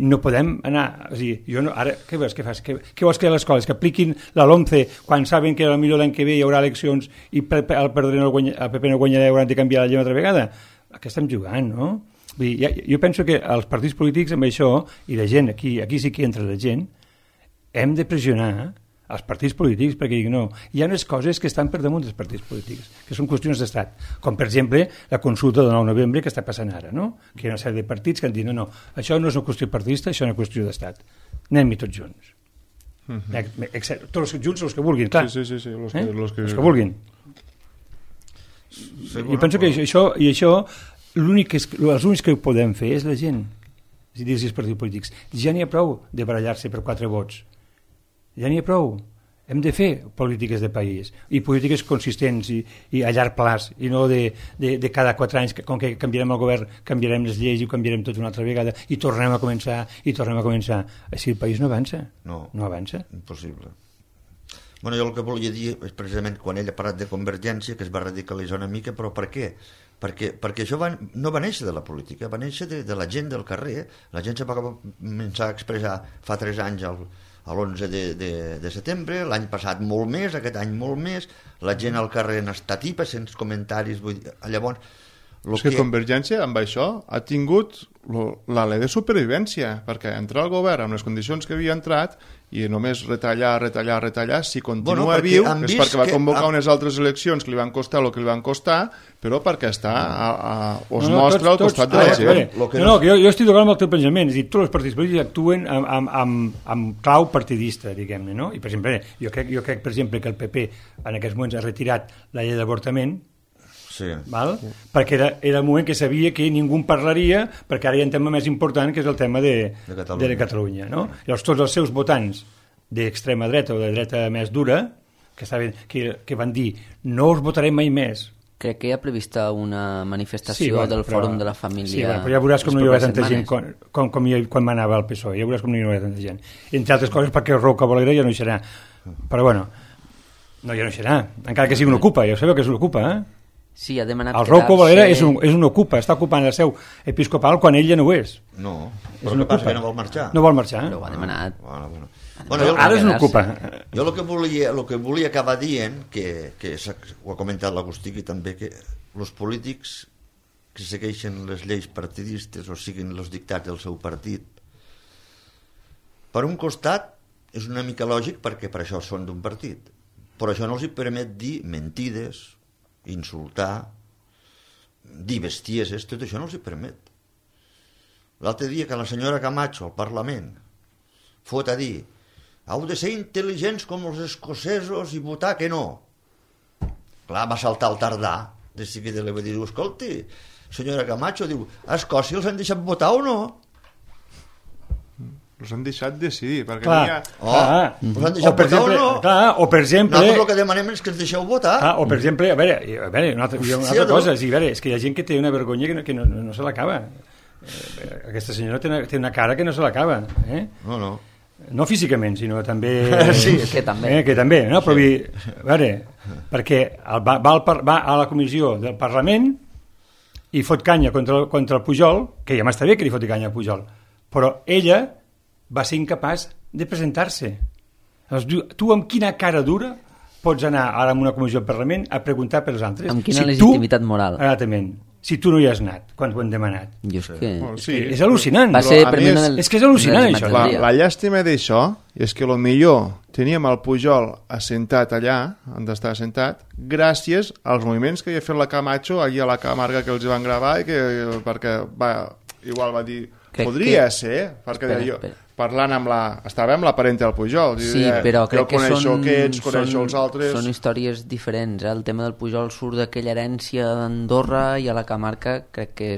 No podem anar... Ara, què vols que fas? Què vols que les escoles que apliquin la LOMCE quan saben que potser l'any que ve hi haurà eleccions i el PP no guanyarà i hauran de canviar la llei una altra vegada? A què estem jugant, no? Jo penso que els partits polítics amb això, i la gent, aquí sí que entra la gent, hem de pressionar els partits polítics perquè dic no, hi ha unes coses que estan per damunt dels partits polítics, que són qüestions d'estat, com per exemple la consulta del 9 de novembre que està passant ara, no? Que hi ha una sèrie de partits que han dit no, això no és una qüestió partidista, això és una qüestió d'estat, anem-hi tots junts. Tots junts els que vulguin, clar. Sí, els que vulguin. Jo penso que això els únics que ho podem fer és la gent, és a dir, els partits polítics. Ja n'hi ha prou de barallar-se per 4 vots. Ja n'hi ha prou. Hem de fer polítiques de país i polítiques consistents i a llarg plaç i no de cada 4 anys, com que canviarem el govern, canviarem les lleis i ho canviarem tot una altra vegada i tornem a començar. Així el país no avança. No avança. Impossible. Bueno, jo el que volia dir és precisament quan ell ha parlat de Convergència, que es va radicalitzar una mica, però per què? Perquè això no va néixer de la política, va néixer de la gent del carrer. La gent se va començar a expressar fa 3 anys a l'11 de setembre, l'any passat molt més, aquest any molt més, la gent al carrer n'està tipa, sense comentaris, vull dir, llavors... És que Convergència amb això ha tingut l'alè de supervivència, perquè entrar al govern amb les condicions que havia entrat i només retallar, si continua viu és perquè va convocar unes altres eleccions que li van costar el que li van costar, però perquè està mostra al costat de la gent. Jo estic d'acord amb el teu pensament, és a dir, tots els partits polítics actuen amb clau partidista, diguem-ne, no? I per exemple, jo crec per exemple que el PP en aquests moments ha retirat la llei d'avortament. Sí. Perquè era el moment que sabia que ningú en parlaria, perquè ara hi ha un tema més important que és el tema de Catalunya, no? Llavors tots els seus votants d'extrema dreta o de dreta més dura que van dir no us votarem mai més. Crec que hi ha prevista una manifestació del Fòrum de la Família. Sí, però ja veuràs com no hi haurà tanta gent quan m'anava al PSOE, ja veuràs com no hi haurà tanta gent. Entre altres coses perquè Roca Bolegra ja no hi serà. Però bueno, ja no hi serà, encara que sigui un ocupa, ja sabeu que és un ocupa, Sí, ha demanat el Rocco Valera és un ocupa, està ocupant la seu episcopal quan ell ja no ho és. No, però el que passa que no vol marxar. No vol marxar. Però ho ha demanat. Bueno, Ara és n'ocupa. Jo el que volia acabar dient, que ho ha comentat l'Agustí, que també que els polítics que segueixen les lleis partidistes o siguin els dictats del seu partit, per un costat és una mica lògic perquè per això són d'un partit, però això no els hi permet dir mentides, insultar, dir bestieses, tot això no els hi permet. L'altre dia que la senyora Camacho al Parlament fot a dir heu de ser intel·ligents com els escocesos i votar que no. Clar, va saltar el tardà, de seguida li va dir, escolti, senyora Camacho, diu, a Escòcia els han deixat votar o no? Els han deixat decidir, perquè Clar. no hi ha... Els han deixat votar o no? Clar, o per exemple... Nosaltres el que demanem és que ens deixeu votar. O per exemple, a veure una altra cosa, sí, a veure, és que hi ha gent que té una vergonya que no se l'acaba. Aquesta senyora té una cara que no se l'acaba. No. No físicament, sinó també... Sí, que també. Que també, no? Però a veure, perquè va a la comissió del Parlament i fot canya contra el Pujol, que ja m'està bé que li foti canya al Pujol, però ella va ser incapaç de presentar-se. Tu amb quina cara dura pots anar ara a una comissió del Parlament a preguntar pels altres? Amb quina legitimitat moral? Exactament. Si tu no hi has anat, quan ho hem demanat. Jo és que... Sí. És al·lucinant. Va ser És que és al·lucinant, això. La llàstima d'això és que millor teníem el Pujol assentat allà, on està assentat, gràcies als moviments que havia fet la Camacho allà a la Camarga que els van gravar i perquè igual va dir podria ser, perquè parlant estava amb la parenta del Pujol. Sí, però crec que coneixo els altres... Són històries diferents. El tema del Pujol surt d'aquella herència d'Andorra i a la Camarga crec que...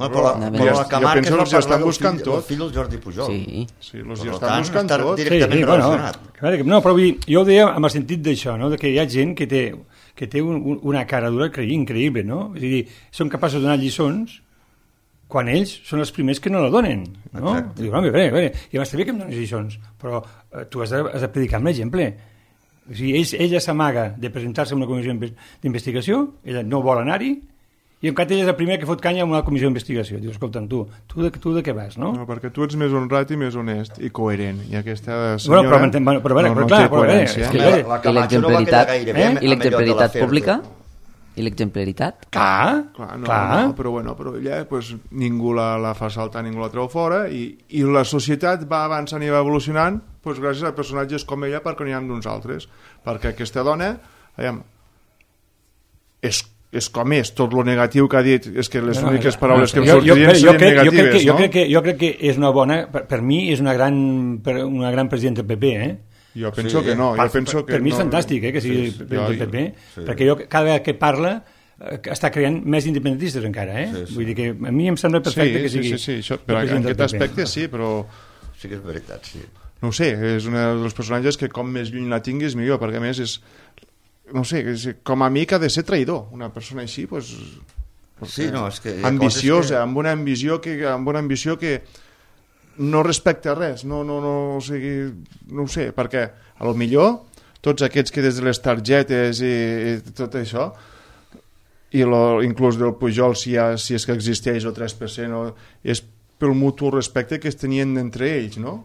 Però la Camarga penso que estan buscant tot. El fill del Jordi Pujol. Sí, els estan buscant tot. Directament relacionat. No, però jo ho deia amb el sentit d'això, no? Que hi ha gent que té una cara dura increïble, no? És a dir, són capaços de donar lliçons quan ells són els primers que no la donen, no? Diu, a veure, i m'està bé que em dones lliçons, però tu has de predicar amb l'exemple. O sigui, ella s'amaga de presentar-se en una comissió d'investigació, ella no vol anar-hi, i en canvi ella és el primer que fot canya en una comissió d'investigació. Diu, escolta'm, tu de què vas, no? No, perquè tu ets més honrat i més honest i coherent, i aquesta senyora però té coherència. La Camacho no va quedar gaire bé. I l'exemplaritat pública? I l'exemplaritat? Clar. Però ella ningú la fa saltar, ningú la treu fora i la societat va avançant i va evolucionant gràcies a personatges com ella perquè n'hi ha d'uns altres, perquè aquesta dona és com és, tot lo negatiu que ha dit és que les úniques paraules que em sortirien serien negatives, no? Jo crec que és una bona, per mi és una gran presidenta del PP, Jo penso que no. Per mi és fantàstic que sigui del PP, perquè cada vegada que parla està creant més independentistes encara, Vull dir que a mi em sembla perfecte que sigui... Sí, però en aquest aspecte sí, però... Sí que és veritat, sí. No ho sé, és un dels personatges que com més lluny la tinguis millor, perquè a més és... No sé, com a amic ha de ser traïdor. Una persona així, Sí, no, és que... ambiciosa, amb una ambició que no respecta res, no ho sé, perquè a lo millor tots aquests que des de les targetes i tot això i inclús del Pujol si és que existeix o 3% és pel mutu respecte que es tenien entre ells, no?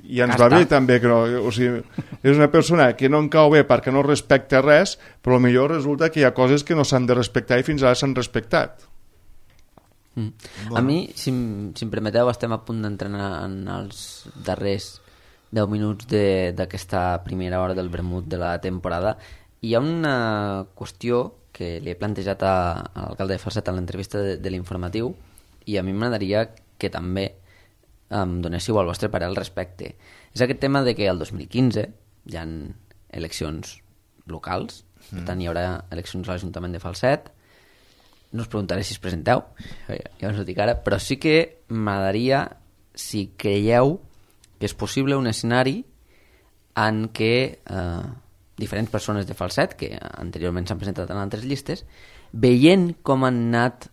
I ens va bé també, o sigui, és una persona que no en cau bé perquè no respecta res, però potser resulta que hi ha coses que no s'han de respectar i fins ara s'han respectat. A mi, si em permeteu, estem a punt d'entrenar en els darrers 10 minuts d'aquesta primera hora del vermut de la temporada. Hi ha una qüestió que li he plantejat a l'alcalde de Falset en l'entrevista de l'informatiu i a mi m'agradaria que també em donéssiu el vostre parer al respecte. És aquest tema de que el 2015 hi ha eleccions locals, per tant hi haurà eleccions a l'Ajuntament de Falset. No us preguntaré si es presenteu, ja us ho dic ara, però sí que m'agradaria si creieu que és possible un escenari en què diferents persones de Falset, que anteriorment s'han presentat en altres llistes, veient com han anat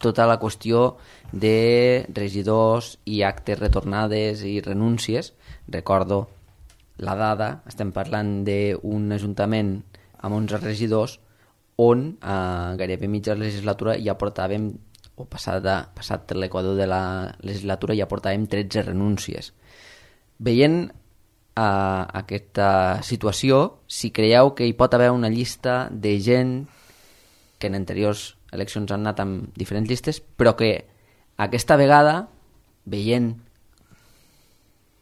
tota la qüestió de regidors i actes retornades i renúncies. Recordo la dada, estem parlant d'un ajuntament amb 11 regidors on gairebé mitja legislatura ja portàvem, o passat l'equador de la legislatura ja portàvem 13 renúncies. veient aquesta situació, si creieu que hi pot haver una llista de gent que en anteriors eleccions han anat amb diferents llistes, però que aquesta vegada, veient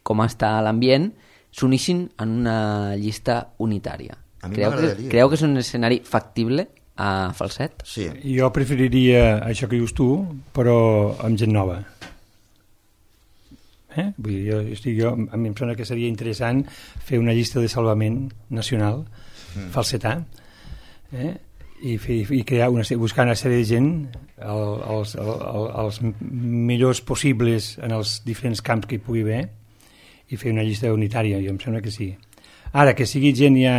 com està l'ambient, s'unissin en una llista unitària. Creieu que és un escenari factible a Falset? Sí. Jo preferiria això que dius tu, però amb gent nova. Vull dir, a mi em sembla que seria interessant fer una llista de salvament nacional, falsetà, i crear buscar una sèrie de gent els millors possibles en els diferents camps que hi pugui haver i fer una llista unitària. Jo em sembla que sí. Ara, que sigui gent ja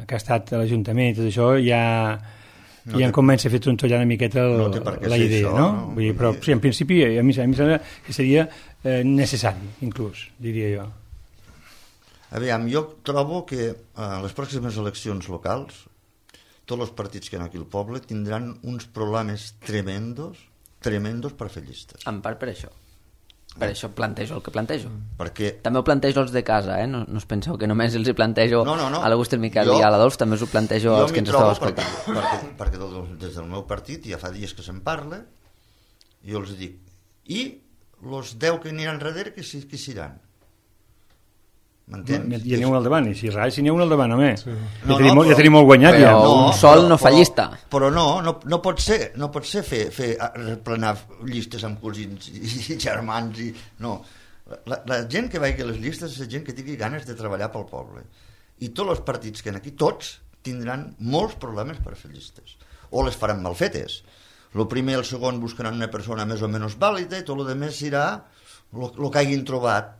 que ha estat a l'Ajuntament i tot això, ja em comença a fer trontollar una miqueta la idea, no? Vull dir, però sí, en principi a mi sembla que seria necessari, inclús, diria jo. Aviam, jo trobo que a les pròximes eleccions locals tots els partits que hi ha aquí al poble tindran uns problemes tremendos per fer llistes. En part per això. Per això plantejo el que plantejo. Perquè... També ho plantejo els de casa, no us penseu que només els hi plantejo a l'August, el Miquel i a l'Adolf, també us ho plantejo als que ens esteu escoltant. Perquè des del meu partit ja fa dies que se'n parla, jo els dic, i els 10 que aniran darrere, qui seran? M'entens? Hi n'hi ha un al davant, i si n'hi ha un al davant, home. Sí. Ja tenim molt guanyat. Però un sol no fa llista. Però no pot ser fer replenar llistes amb cosins i germans. No. La gent que vagi a les llistes és gent que tingui ganes de treballar pel poble. I tots els partits que aquí, tots, tindran molts problemes per fer llistes. O les faran mal fetes. El primer i el segon buscaran una persona més o menys vàlida i tot el demés serà el que hagin trobat.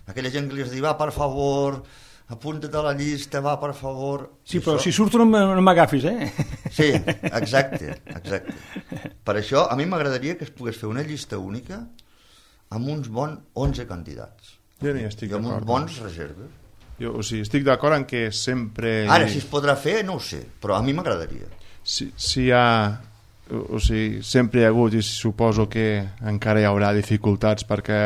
Aquella gent que li diu, va, per favor, apunta't a la llista, va, per favor... Sí, però si surto no m'agafis, Sí, exacte. Per això, a mi m'agradaria que es pogués fer una llista única amb uns bons 11 candidats. Jo no hi estic d'acord. I amb uns bons reserves. Jo, estic d'acord en que sempre... Ara, si es podrà fer, no ho sé, però a mi m'agradaria. Si hi ha... sempre hi ha hagut, i suposo que encara hi haurà dificultats perquè...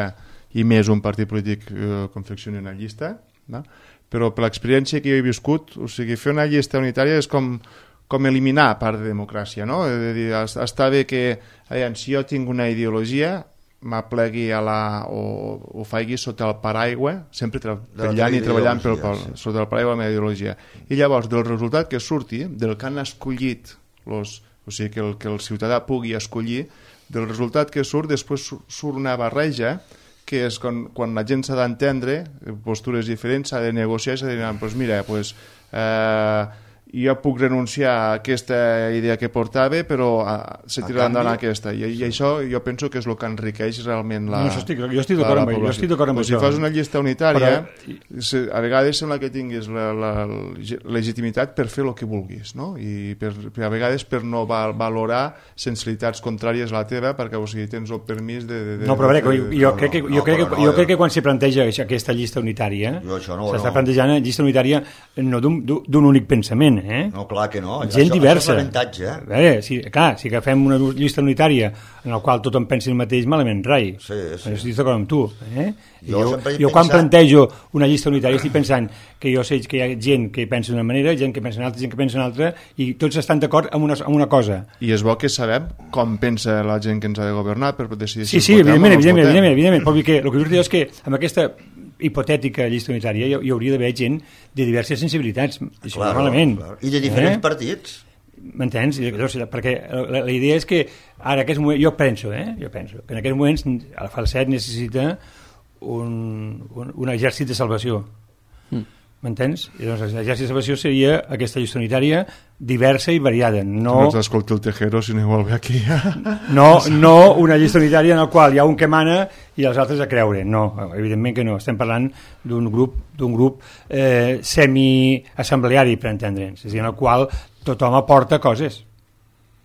i més un partit polític confeccioni una llista, no? Però per l'experiència que jo he viscut, fer una llista unitària és com eliminar part de democràcia, no? És a dir, està bé que si jo tinc una ideologia m'aplegui o faigui sota el paraigua, sempre treballant sota el paraigua de la meva ideologia, i llavors del resultat que surti, del que han escollit que el ciutadà pugui escollir, del resultat que surt, després surt una barreja que és quan la gent s'ha d'entendre, postures diferents, s'ha de negociar, s'ha de dir, doncs mira, jo puc renunciar a aquesta idea que portava, però se tirarà endavant aquesta. I això jo penso que és el que enriqueix realment la població. Jo estic d'acord amb això. Si fas una llista unitària, a vegades sembla que tinguis la legitimitat per fer el que vulguis, no? I a vegades per no valorar sensibilitats contràries a la teva, perquè tens el permís de... No, però a veure, jo crec que quan se planteja aquesta llista unitària, s'està plantejant llista unitària no d'un únic pensament, No, clar que no. Gent diversa. Això és l'avantatge. A veure, si agafem una llista unitària en la qual tothom pensi el mateix, malament rai. Sí. Estic d'acord amb tu. Jo quan plantejo una llista unitària estic pensant que jo sé que hi ha gent que pensa d'una manera, gent que pensa una altra, gent que pensa una altra, i tots estan d'acord amb una cosa. I és bo que sabem com pensa la gent que ens ha de governar per decidir si evidentment. Però el que us dic és que amb aquesta hipotètica llista unitària hi hauria d'haver gent de diverses sensibilitats, això malament. I de diferents partits. M'entens? Perquè la idea és que ara, jo penso que en aquests moments el Falset necessita un exèrcit de salvació. M'entens? I doncs l'exèrcit de salvació seria aquesta llista unitària diversa i variada. No t'escolti el Tejero si no vol ve aquí. No una llista unitària en la qual hi ha un que mana i els altres a creure. No, evidentment que no. Estem parlant d'un grup semi-assembleari, per entendre'ns, és a dir, en el qual tothom aporta coses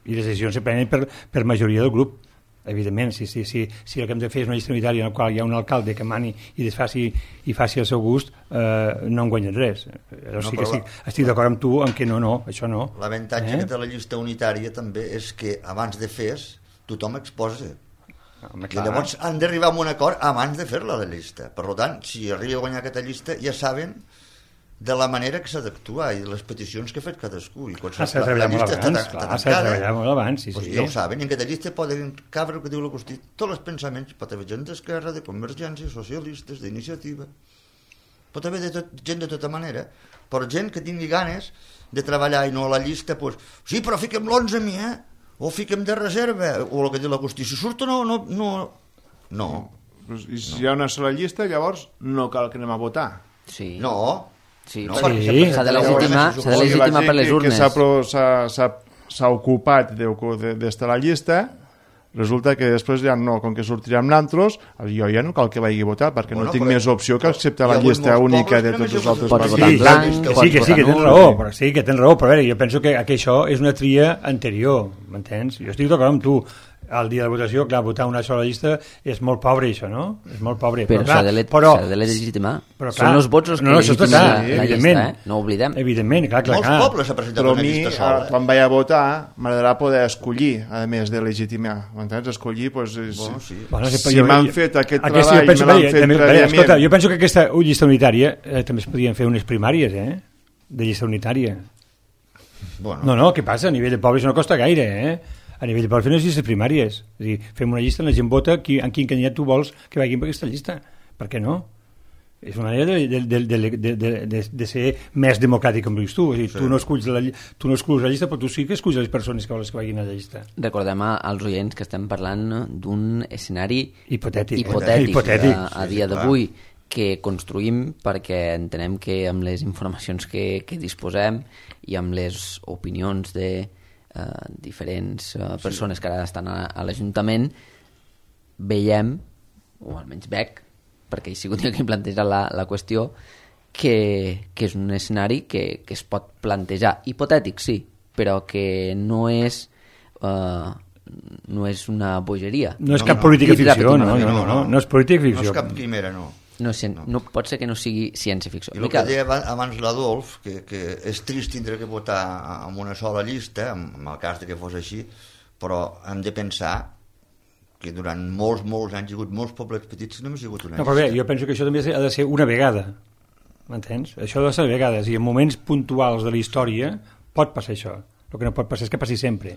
i les decisions se prenen per majoria del grup. Evidentment, si el que hem de fer és una llista unitària en la qual hi ha un alcalde que mani i desfaci i faci el seu gust, no en guanyem res. Estic d'acord amb tu en que no, això no. L'avantatge que té la llista unitària també és que abans de fer tothom exposa. Home, I clar. llavors han d'arribar a un acord abans de fer-la, la llista. Per tant, si arriba a guanyar aquesta llista, ja saben de la manera que s'ha d'actuar i de les peticions que ha fet cadascú. I quan S'ha de treballar molt abans, clar, s'ha de treballar molt abans, sí, doncs sí. ja ho saben, i en aquesta llista poden cabre el que diu la Constitució, tots els pensaments, pot haver gent d'esquerra, de convergència, socialistes, d'iniciativa, pot haver gent de tota manera, però gent que tingui ganes de treballar i no a la llista, doncs, sí, però fiquem l'11 a mi, o fiquem de reserva, o el que diu la Constitució, surt o no. I si hi ha una sola llista, llavors no cal que anem a votar. Sí. No. Sí, No, perquè s'ha de legitimar per les urnes. S'ha ocupat d'estar a la llista, resulta que després ja no, com que sortirem naltros, jo ja no cal que vagi a votar, perquè no tinc més opció que acceptar la llista única de tots els altres Pots votar partits. en blanc, Sí, que tens raó, però sí que tens raó, però a veure, jo penso que això és una tria anterior, m'entens? Jo estic d'acord amb tu. El dia de votació, clar, votar una sola llista és molt pobre, això, no? És molt pobre. Però clar, s'ha de legitimar. Però, clar, són els vots els que legitimen la llista, No ho oblidem. Evidentment, clar. Molts pobles s'ha presentat Però a una mi, llista sola. quan vaig a votar, m'agradarà poder escollir, a més de legitimar. M'entens? Escollir, doncs, Sí. Bueno, si m'han fet aquest treball, me l'han fet prèviament. Escolta, jo penso que aquesta llista unitària també es podien fer unes primàries, de llista unitària. Bueno. No, què passa? A nivell de poble això no costa gaire, A nivell de poble fer unes llistes primàries. És a dir, fem una llista, la gent vota en quin candidat tu vols que vagin per aquesta llista. Per què no? És una manera de ser més democràtic, com dius tu. És a dir, tu no esculls la llista, però tu sí que esculls les persones que vols que vagin a la llista. Recordem als oients que estem parlant d'un escenari hipotètic a dia d'avui, que construïm perquè entenem que amb les informacions que disposem i amb les opinions de diferents persones que ara estan a l'Ajuntament, veiem, o almenys veig, perquè he sigut jo qui planteja la qüestió, que és un escenari que es pot plantejar. Hipotètic, sí, però que no és una bogeria. No és cap política ficció, no és política ficció. No és cap quimera, no. No pot ser que no sigui ciència-ficció. I el que deia abans l'Adolf, que és trist tindre que votar amb una sola llista, en el cas de que fos així, però hem de pensar que durant molts anys hi ha hagut molts pobles petits que només hi ha hagut una llista. No, però bé, jo penso que això també ha de ser una vegada, m'entens? Això ha de ser vegades, i en moments puntuals de la història pot passar això. El que no pot passar és que passi sempre.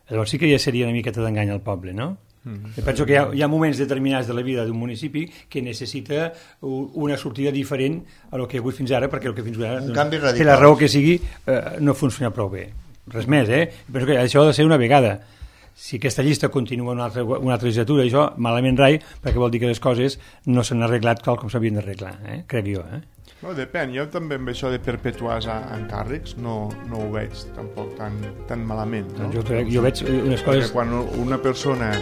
Llavors sí que ja seria una miqueta d'engany al poble, no? Jo penso que hi ha moments determinats de la vida d'un municipi que necessita una sortida diferent a lo que ha hagut fins ara, perquè el que fins ara un canvi radical. Per la raó que sigui no funciona prou bé. Res més, Penso que això ha de ser una vegada. Si aquesta llista continua una altra legislatura, això malament rai, perquè vol dir que les coses no s'han arreglat tal com s'havien d'arreglar, crec jo. No, depèn, jo també amb això de perpetuar encàrrecs no ho veig tampoc tan malament, no? Jo veig unes coses... Perquè quan una persona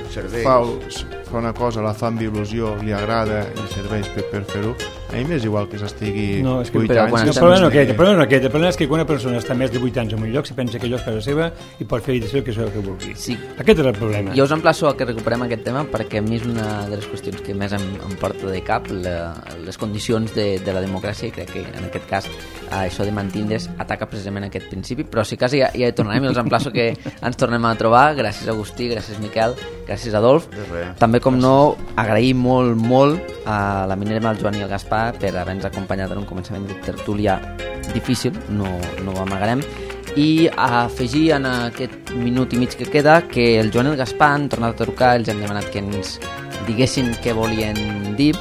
fa una cosa, la fa amb il·lusió, li agrada i serveix per fer-ho, a mi m'és igual que s'estigui 8 anys... El problema no és aquest, el problema és que quan una persona està més de 8 anys en un lloc se pensa que allò és casa seva i pot fer i decidir el que vulgui. Sí. Aquest és el problema. Jo us emplaço a que recuperem aquest tema perquè a mi és una de les qüestions que més em porta de cap, les condicions de la democràcia, i crec que en aquest cas això de mantindre's ataca precisament aquest principi, però si quasi ja hi tornarem i els emplaço que ens tornem a trobar. Gràcies Agustí, gràcies Miquel, gràcies Adolf. També, com no, agrair molt a la Minerva, el Joan i el Gaspar per haver-nos acompanyat en un començament de tertúlia difícil, no ho amagarem, i a afegir en aquest minut i mig que queda que el Joan i el Gaspar han tornat a trucar, els hem demanat que ens diguessin què volien dir,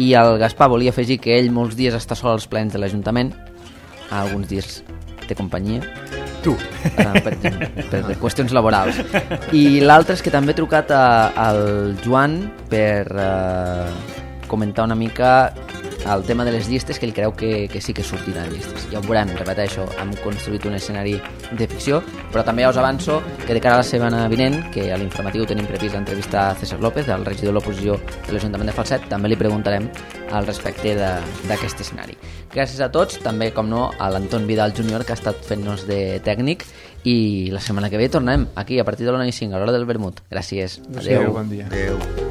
i el Gaspar volia afegir que ell molts dies està sol als plens de l'Ajuntament, alguns dies té companyia, tu, per qüestions laborals, i l'altre és que també he trucat al Joan per comentar una mica el tema de les llistes, que ell creu que sí que sortiran llistes. Ja ho veurem, repeteixo, hem construït un escenari de ficció, però també ja us avanço que de cara a la setmana vinent, que a l'informatiu tenim previst l'entrevista a César López, el regidor de l'oposició de l'Ajuntament de Falset, també li preguntarem al respecte d'aquest escenari. Gràcies a tots, també, com no, a l'Anton Vidal Júnior, que ha estat fent-nos de tècnic, i la setmana que ve tornem aquí a partir de l'1:05 a l'hora del vermut. Gràcies. Adéu. Bon dia. Adéu.